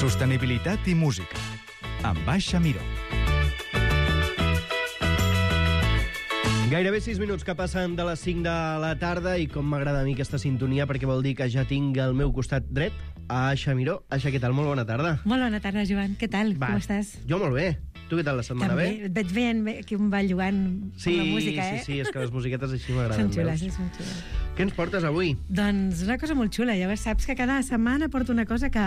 Sostenibilitat i música, amb Baixa Miró. Gairebé 6 minuts que passen de les 5 de la tarda i com m'agrada a mi aquesta sintonia perquè vol dir que ja tinc al meu costat dret a Aixa Miró. Aixa, què tal? Molt bona tarda. Molt bona tarda, Joan. Què tal? Com estàs? Jo molt bé. Tu què tal la setmana? També. Bé? Et veig veient que un va jugant amb la música, Sí, és que les musiquetes així m'agraden. Són xules, són xules. Què ens portes avui? Doncs una cosa molt xula. Ja saps que cada setmana porto una cosa que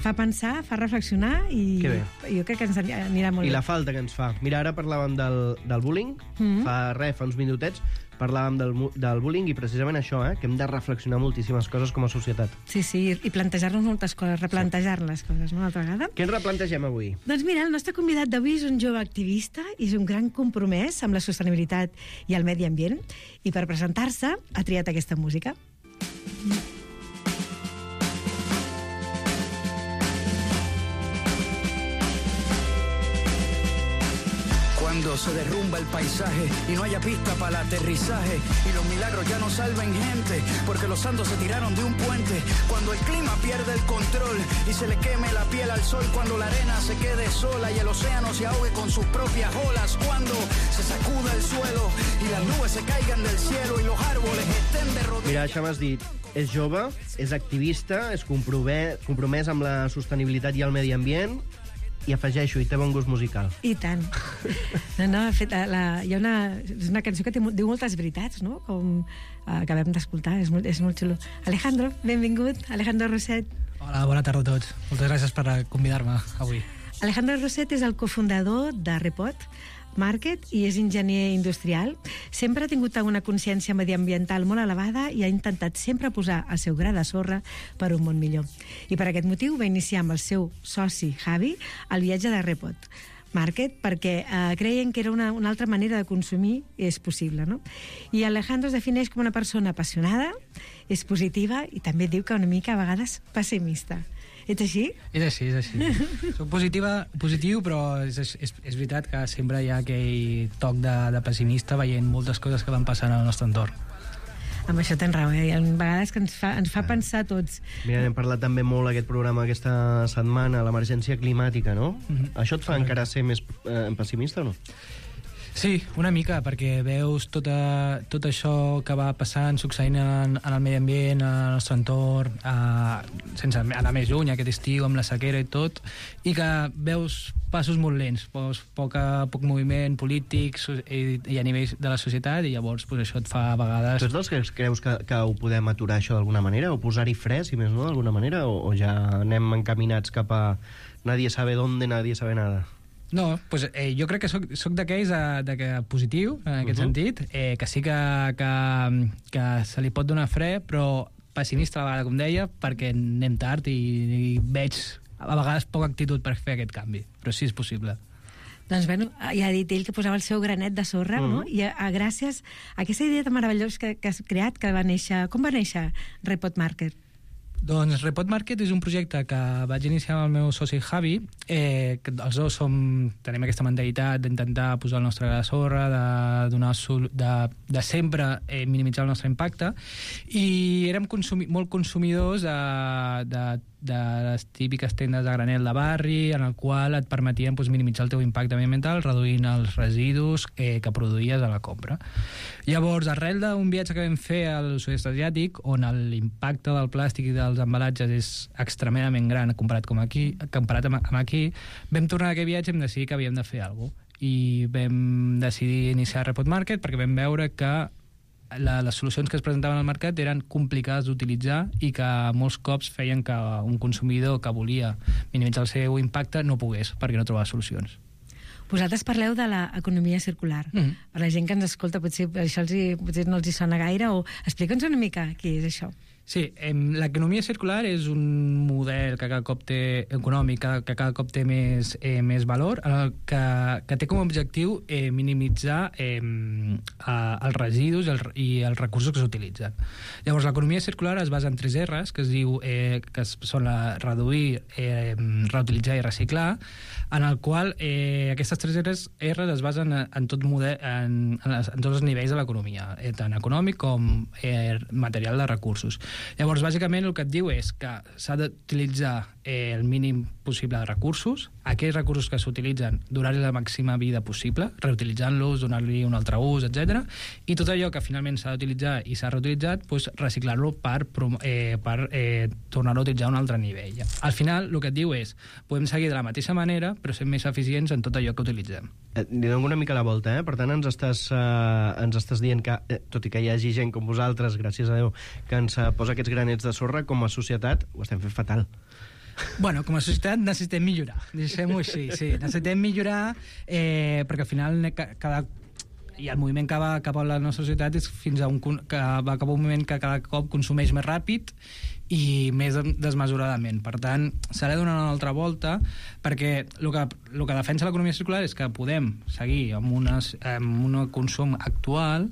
fa pensar, fa reflexionar i jo crec que ens anirà molt bé. I la falta que ens fa. Mira, ara parlàvem del bullying. Fa uns minutets parlàvem del bullying i precisament això, que hem de reflexionar moltíssimes coses com a societat. Sí, i plantejar-nos moltes coses, replantejar les coses, no?, una altra vegada. Què ens replantegem avui? Doncs mira, el nostre convidat d'avui és un jove activista i és un gran compromès amb la sostenibilitat i el medi ambient, i per presentar-se ha triat aquesta música. Cuando se derrumba el paisaje y no haya pista para el aterrizaje y los milagros ya no salven gente porque los santos se tiraron de un puente, cuando el clima pierde el control y se le queme la piel al sol, cuando la arena se quede sola y el océano se ahogue con sus propias olas, cuando se sacuda el suelo y las nubes se caigan del cielo y los árboles estén de rodillas. Mira, això m'has dit, és jove, és activista, és compromès amb la sostenibilitat i el medi ambient, i afegeixo, i té bon gust musical. I tant. No, de fet, hi ha una cançó que diu moltes veritats, no?, com acabem d'escoltar, és molt xulo. Alejandro, benvingut, Alejandro Roset. Hola, bona tarda a tots. Moltes gràcies per convidar-me avui. Alejandro Roset és el cofundador de Repot Market i és enginyer industrial. Sempre ha tingut una consciència mediambiental molt elevada i ha intentat sempre posar el seu gra de sorra per un món millor. I per aquest motiu va iniciar amb el seu soci Javi el viatge de Repot Market perquè creien que era una altra manera de consumir i és possible, no? I Alejandro es defineix com una persona apassionada, és positiva i també diu que una mica a vegades pessimista. Ets així? És així. Soc positiu, però és veritat que sempre hi ha aquell toc de pessimista veient moltes coses que van passant al nostre entorn. Amb això tens raó, Hi ha vegades que ens fa pensar tots. Mira, hem parlat també molt aquest programa aquesta setmana, l'emergència climàtica, no? Això et fa encara ser més pessimista o no? Sí, una mica, perquè veus tot això que va passant, succeint en el medi ambient, al nostre entorn, sense anar més lluny, aquest estiu, amb la sequera i tot, i que veus passos molt lents, poc moviment polític i a nivell de la societat, i llavors això et fa a vegades... Tu ets dels que creus que ho podem aturar això d'alguna manera, o posar-hi fre, si més no, d'alguna manera, o ja anem encaminats cap a nadie sabe dónde, nadie sabe nada? No, pues, jo crec que soc d'aquells positiu, en aquest sentit, que sí que se li pot donar fre, però pessimista a la vegada, com deia, perquè anem tard i veig a vegades poca actitud per fer aquest canvi, però sí és possible. Doncs bueno, ja ha dit ell que posava el seu granet de sorra, no? I gràcies a aquesta idea tan meravellosa que has creat, que va néixer... Com va néixer Repot Market? Doncs Repot Market és un projecte que vaig iniciar amb el meu soci Javi, que els dos tenim aquesta mentalitat d'intentar posar el nostre gra de sorra, de sempre minimitzar el nostre impacte, i érem molt consumidors de les típiques tendes de granel de barri, en el qual et permetien minimitzar el teu impacte ambiental reduint els residus que produïes a la compra. Llavors, arrel d'un viatge que vam fer al sud-est asiàtic, on l'impacte del plàstic i dels embalatges és extremadament gran comparat amb aquí, vam tornar a aquest viatge i vam decidir que havíem de fer alguna cosa. I vam decidir iniciar Repot Market perquè vam veure que les solucions que es presentaven al mercat eren complicades d'utilitzar i que molts cops feien que un consumidor que volia minimitzar el seu impacte no pogués perquè no trobava solucions. Vosaltres parleu de l'economia circular. Per la gent que ens escolta potser això potser no els hi sona gaire, o explica'ns una mica què és això. Sí, l'economia circular és un model que cada cop té econòmic, que cada cop té més valor, que té com a objectiu minimitzar els residus i els recursos que s'utilitzen. Llavors, l'economia circular es basa en 3 R's, que es diu que són reduir, reutilitzar i reciclar, en el qual aquestes 3 R's es basen en tots els nivells de l'economia, tant econòmic com material de recursos. Llavors, bàsicament, el que et diu és que s'ha d'utilitzar el mínim possible de recursos, aquells recursos que s'utilitzen, donar-li la màxima vida possible, reutilitzant-los, donar-li un altre ús, etc. I tot allò que finalment s'ha d'utilitzar i s'ha reutilitzat, doncs reciclar-lo per tornar-lo a utilitzar a un altre nivell. Al final, el que et diu és, podem seguir de la mateixa manera, però ser més eficients en tot allò que utilitzem. Li dono una mica la volta, Per tant, ens estàs dient que, tot i que hi hagi gent com vosaltres, gràcies a Déu, que ens posa aquests granets de sorra, com a societat ho estem fent fatal. Bueno, com a societat necessitem millorar, deixem-ho així, sí. Necessitem millorar perquè al final i el moviment que va cap a la nostra societat és fins a que va cap a un moment que cada cop consumeix més ràpid i més desmesuradament. Per tant, s'ha de donar una altra volta perquè el que defensa l'economia circular és que podem seguir amb un consum actual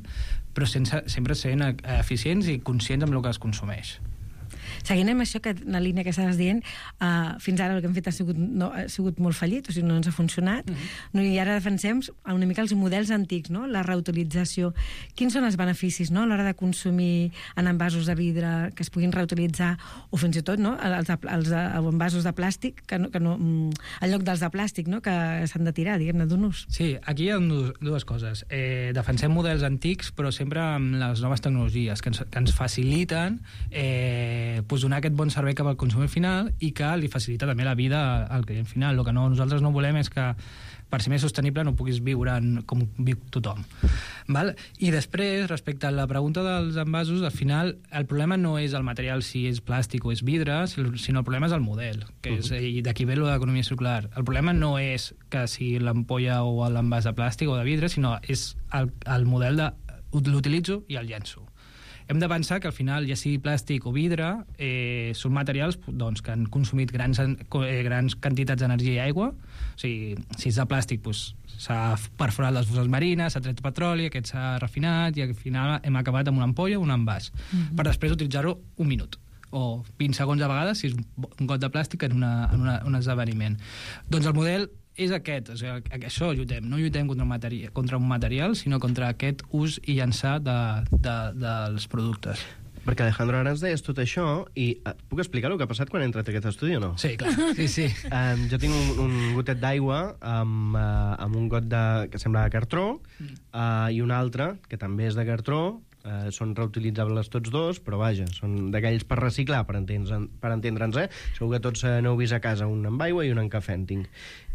però sempre sent eficients i conscients amb el que es consumeix. Seguint amb això, que la línia que estaves dient, fins ara el que hem fet ha sigut molt fallit, o sigui, no ens ha funcionat, i ara defensem una mica els models antics, no? La reutilització. Quins són els beneficis, no?, a l'hora de consumir en envasos de vidre que es puguin reutilitzar, o fins i tot, no?, els envasos de plàstic, en lloc dels de plàstic, no?, que s'han de tirar, diguem-ne, d'un ús. Sí, aquí hi ha dues coses. Defensem models antics, però sempre amb les noves tecnologies que ens faciliten donar aquest bon servei cap al consumidor final i que li facilita també la vida al client final. El que nosaltres no volem és que per ser més sostenible no puguis viure com viu tothom. Val? I després, respecte a la pregunta dels envasos, al final el problema no és el material, si és plàstic o és vidre, sinó el problema és el model, que és, i d'aquí ve l'economia circular. El problema no és que si l'ampolla o l'envàs de plàstic o de vidre, sinó és el model de l'utilitzo i el llenço. Hem de pensar que al final, ja sigui plàstic o vidre, són materials que han consumit grans quantitats d'energia i aigua. O sigui, si és de plàstic, s'ha perforat les fosses marines, s'ha tret petroli, aquest s'ha refinat i al final hem acabat amb una ampolla o un envàs, per després utilitzar-ho un minut o 20 segons a vegades si és un got de plàstic en un esdeveniment. Doncs el model és aquest, o sigui, això lluitem. No lluitem contra un material, sinó contra aquest ús i llançar dels productes. Perquè, Alejandro, ara ens deies tot això i puc explicar el que ha passat quan he entrat a aquest estudi o no? Sí, clar. Sí. Jo tinc un gotet d'aigua amb un got que sembla de cartró i un altre que també és de cartró. Són reutilitzables tots dos, però vaja, són d'aquells per reciclar, per entendre'ns, Segur que tots n'heu vist a casa, un amb aigua i un amb cafè en tinc.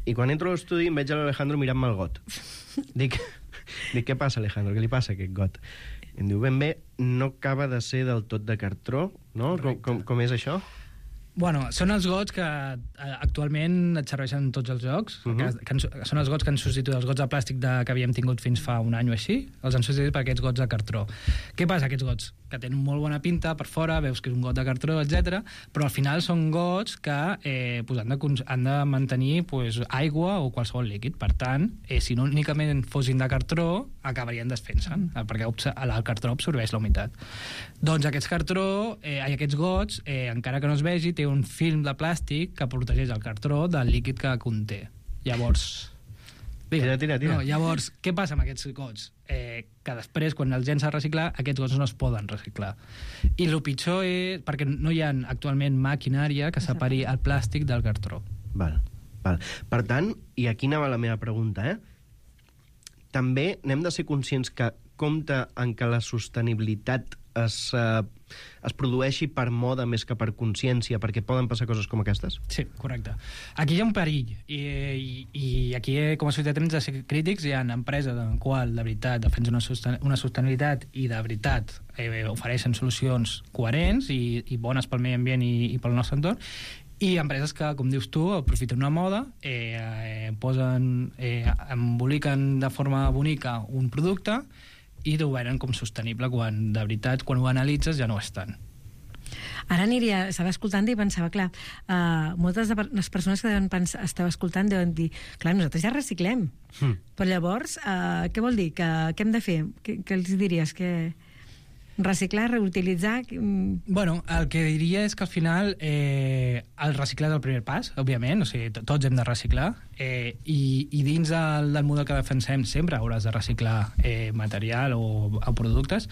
I quan entro a l'estudi em veig a l'Alejandro mirant-me el got. Dic, què passa, Alejandro? Què li passa a aquest got? I em diu, ben bé, no acaba de ser del tot de cartró, no? Com és això? Bueno, són els gots que actualment et serveixen tots els jocs, que són els gots que han substituït els gots de plàstic que havíem tingut fins fa un any o així, els han substituït per aquests gots de cartró. Què passa, aquests gots? Que tenen molt bona pinta per fora, veus que és un got de cartró, etc. Però al final són gots que han de mantenir aigua o qualsevol líquid. Per tant, si no únicament fossin de cartró, acabarien desfent-se'n, perquè el cartró absorbeix la humitat. Doncs aquests gots, encara que no es vegi, té un film de plàstic que protegeix el cartró del líquid que conté. Llavors... Tira. No, llavors, què passa amb aquests gots? Que després, quan els gens a reciclar, aquests gots no es poden reciclar. I el pitjor és perquè no hi ha actualment maquinària que separi el plàstic del cartró. Val. Per tant, i aquí anava la meva pregunta, també n'hem de ser conscients que compta en que la sostenibilitat es produeixi per moda més que per consciència, perquè poden passar coses com aquestes? Sí, correcte. Aquí hi ha un perill, i aquí, com a societat, hem de ser crítics. Hi ha empreses en qual, de veritat, defensen una sostenibilitat i, de veritat, ofereixen solucions coherents i bones pel medi ambient i pel nostre entorn, i empreses que, com dius tu, aprofiten una moda, emboliquen de forma bonica un producte i ho venen com sostenible quan, de veritat, quan ho analitzes ja no és tant. Ara estava escoltant i pensava, clar, moltes de les persones que estava escoltant deuen dir, clar, nosaltres ja reciclem. Però llavors, què vol dir? Què hem de fer? Què els diries? Reciclar, reutilitzar... Bueno, el que diria és que al final el reciclar és el primer pas, òbviament, o sigui, tots hem de reciclar, i dins del model que defensem sempre hauràs de reciclar material o productes,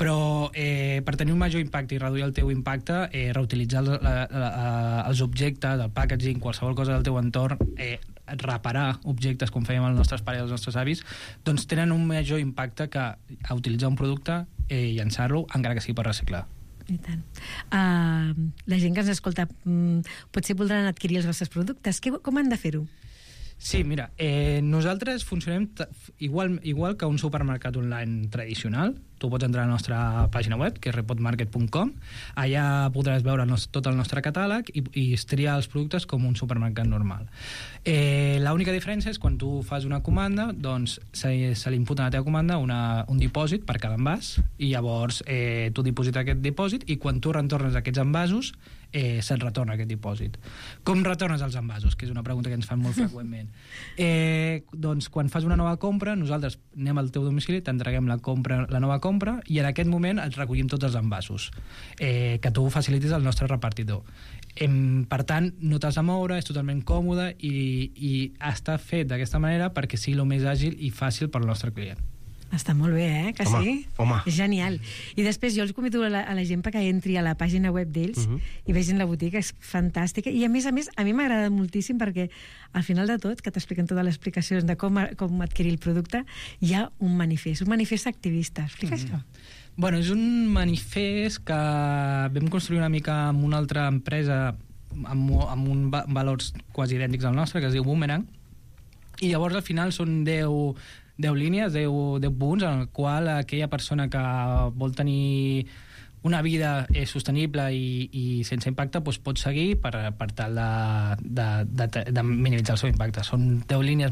Però per tenir un major impacte i reduir el teu impacte, reutilitzar els objectes, el packaging, qualsevol cosa del teu entorn, reparar objectes com fèiem els nostres pares i els nostres avis, doncs tenen un major impacte que a utilitzar un producte i llançar-lo, encara que sigui per reciclar. I tant. La gent que ens escolta potser voldran adquirir els vostres productes. Com han de fer-ho? Sí, mira, nosaltres funcionem igual que un supermercat online tradicional. Tu pots entrar a la nostra pàgina web, que és repotmarket.com. Allà podràs veure tot el nostre catàleg i triar els productes com un supermercat normal. L'única diferència és quan tu fas una comanda, doncs se li imputa a la teva comanda un dipòsit per cada envàs, i llavors tu diposites aquest dipòsit i quan tu retornes aquests envasos se't retorna aquest dipòsit. Com retornes els envasos? Que és una pregunta que ens fan molt freqüentment. Doncs quan fas una nova compra, nosaltres anem al teu domicili, t'entreguem la nova compra i en aquest moment et recollim tots els envasos que tu facilitis al nostre repartidor. Per tant, no t'has de moure, és totalment còmode i està fet d'aquesta manera perquè sigui el més àgil i fàcil per al nostre client. Està molt bé, que home, sí? Home. És genial. I després jo els convido a la gent perquè entri a la pàgina web d'ells i vegin la botiga, és fantàstica. I a més, a mi m'agrada moltíssim perquè al final de tot, que t'expliquen totes les explicacions de com adquirir el producte, hi ha un manifest activista. Explica això. Bueno, és un manifest que vam construir una mica amb una altra empresa amb valors quasi idèntics al nostre, que es diu Boomerang, i llavors al final són 10 línies, 10 punts en el qual aquella persona que vol tenir una vida sostenible i sense impacte doncs pot seguir per tal de minimitzar el seu impacte. Són 10 línies,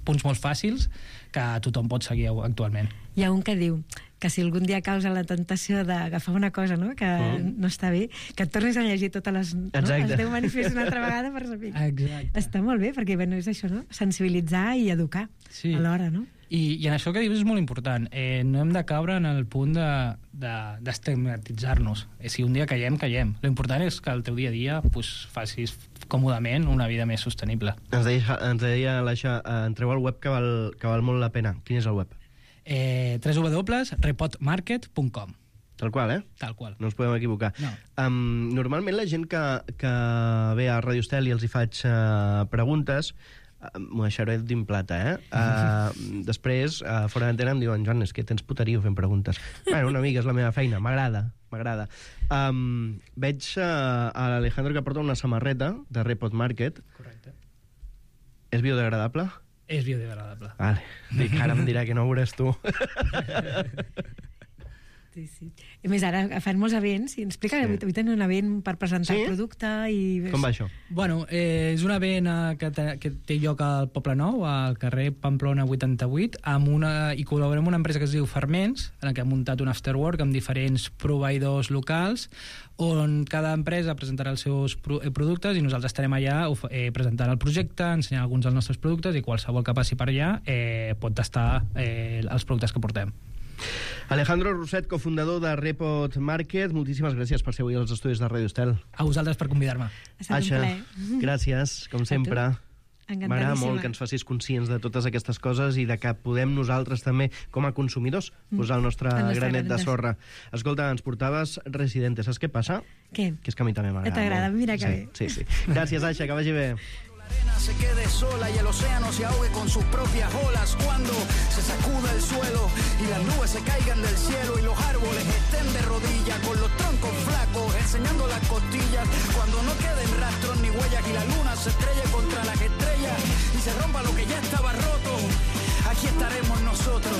punts molt fàcils que tothom pot seguir actualment. Hi ha un que diu que si algun dia causa la tentació d'agafar una cosa, no?, que no està bé, que et tornis a llegir totes els 10 manifestos una altra vegada per saber. Exacte. Està molt bé, perquè és això, no?, sensibilitzar i educar alhora, no? I en això que dius és molt important. No hem de caure en el punt d'estigmatitzar-nos. Si un dia caiem. L'important és que el teu dia a dia facis còmodament una vida més sostenible. Ens deia l'Aixa, entreu al web que val molt la pena. Quin és el web? www.repotmarket.com. Tal qual, Tal qual. No ens podem equivocar. No. Normalment la gent que ve a Radio Estel i els hi faig preguntes, m'ho deixaré din plata, després, fora d'antena, em diuen, Joan, és que tens puterio fent preguntes. Bueno, una mica, és la meva feina, m'agrada. Veig a l'Alejandro que porta una samarreta de Repot Market. Correcte. És biodegradable? És biodegradable. Vale. Dic, ara em dirà que no ho veuràs tu. Sí. A més, ara fan molts events i ens explica que avui tenen un event per presentar el producte i... Com va això? Bueno, és un event que té lloc al Poble Nou, al carrer Pamplona 88, i col·laborem amb una empresa que es diu Ferments, en què hem muntat un afterwork amb diferents proveïdors locals, on cada empresa presentarà els seus productes i nosaltres estarem allà presentant el projecte, ensenyant alguns dels nostres productes, i qualsevol que passi per allà pot tastar els productes que portem. Alejandro Roset, cofundador de Repot Market, moltíssimes gràcies per ser avui als estudis de Radio Estel. A vosaltres per convidar-me. Ha estat un plaer. Gràcies, com sempre. M'agrada molt que ens facis conscients de totes aquestes coses i de que podem nosaltres també, com a consumidors, posar el nostre granet de sorra. Escolta, ens portaves Residente, saps què passa? Què? Que és que a mi també m'agrada. T'agrada? Mira que bé. Sí. Gràcies, Aixa, que vagi bé. La arena se quede sola y el océano se ahogue con sus propias olas cuando se sacuda el suelo y las nubes se caigan del cielo y los árboles estén de rodillas con los troncos flacos enseñando las costillas cuando no queden rastros ni huellas y la luna se estrelle contra las estrellas y se rompa lo que ya estaba roto, aquí estaremos nosotros.